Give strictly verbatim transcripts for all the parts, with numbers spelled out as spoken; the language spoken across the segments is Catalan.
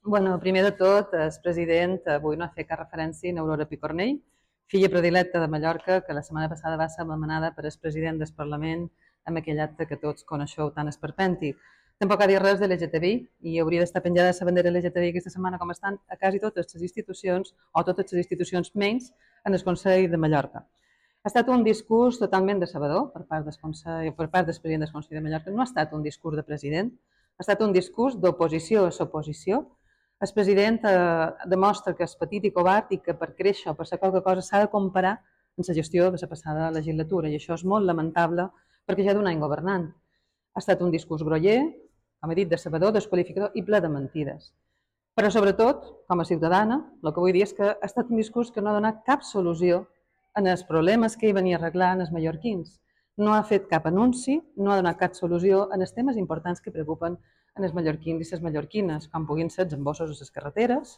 Bueno, primer de tot, el president avui no ha fet cap referència a Aurora Picornell, filla predilecta de Mallorca, que la setmana passada va ser anomenada per el president del Parlament amb aquell acte que tots coneixeu tan esperpèntic. Tampoc ha dit res de l'L G T B I i hauria d'estar penjada la bandera L G T B I aquesta setmana com estan a quasi totes les institucions, o totes les institucions menys en el Consell de Mallorca. Ha estat un discurs totalment decebedor per part del, Consell, per part del president del Consell de Mallorca. No ha estat un discurs de president, ha estat un discurs d'oposició a l'oposició. El president eh, demostra que és petit i covard i que per créixer o per ser qualque cosa s'ha de comparar en la gestió de la passada legislatura, i això és molt lamentable perquè ja d'un any governant. Ha estat un discurs groller, com he dit, decebedor, desqualificador i ple de mentides. Però sobretot, com a ciutadana, el que vull dir és que ha estat un discurs que no ha donat cap solució en els problemes que hi venia a arreglar en els mallorquins. No ha fet cap anunci, no ha donat cap solució en els temes importants que preocupen en els mallorquins i les mallorquines, com puguin ser els embossos a les carreteres,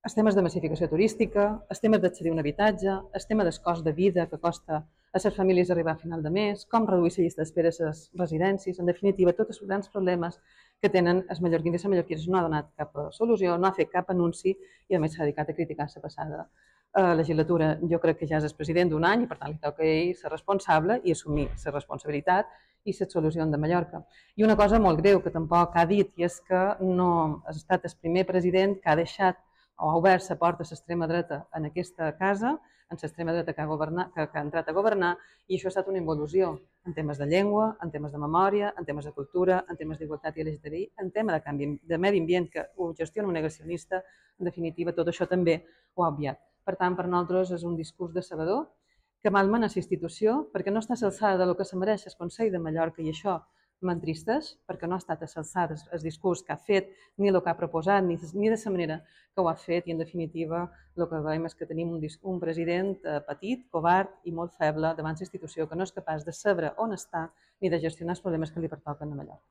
els temes de massificació turística, els temes d'accedir a un habitatge, el tema del cost de vida que costa a les famílies arribar a final de mes, com reduir la llista d'espera a les residències, en definitiva, tots els grans problemes que tenen els mallorquins i les mallorquines. No ha donat cap solució, no ha fet cap anunci i a més s'ha dedicat a criticar la passada eh, legislatura. Jo crec que ja és el president d'un any i per tant li toca a ell ser responsable i assumir la responsabilitat i les solucions de Mallorca. I una cosa molt greu que tampoc ha dit, i és que no ha estat el primer president que ha deixat o ha obert la porta a l'extrema dreta en aquesta casa, en l'extrema dreta que ha, governat, que, que ha entrat a governar, i això ha estat una involució en temes de llengua, en temes de memòria, en temes de cultura, en temes d'igualtat i L G T B I, en tema de canvi de medi ambient que ho gestiona un negacionista. En definitiva, tot això també ho ha obviat. Per tant, per nosaltres és un discurs decebedor que malmena la institució perquè no està a l'alçada del que se mereix el Consell de Mallorca, i això m'entristeix perquè no ha estat a l'alçada el discurs que ha fet, ni el que ha proposat, ni, ni de la manera que ho ha fet, i en definitiva el que veiem és que tenim un, un president petit, covard i molt feble davant la institució, que no és capaç de saber on està ni de gestionar els problemes que li pertoquen a Mallorca.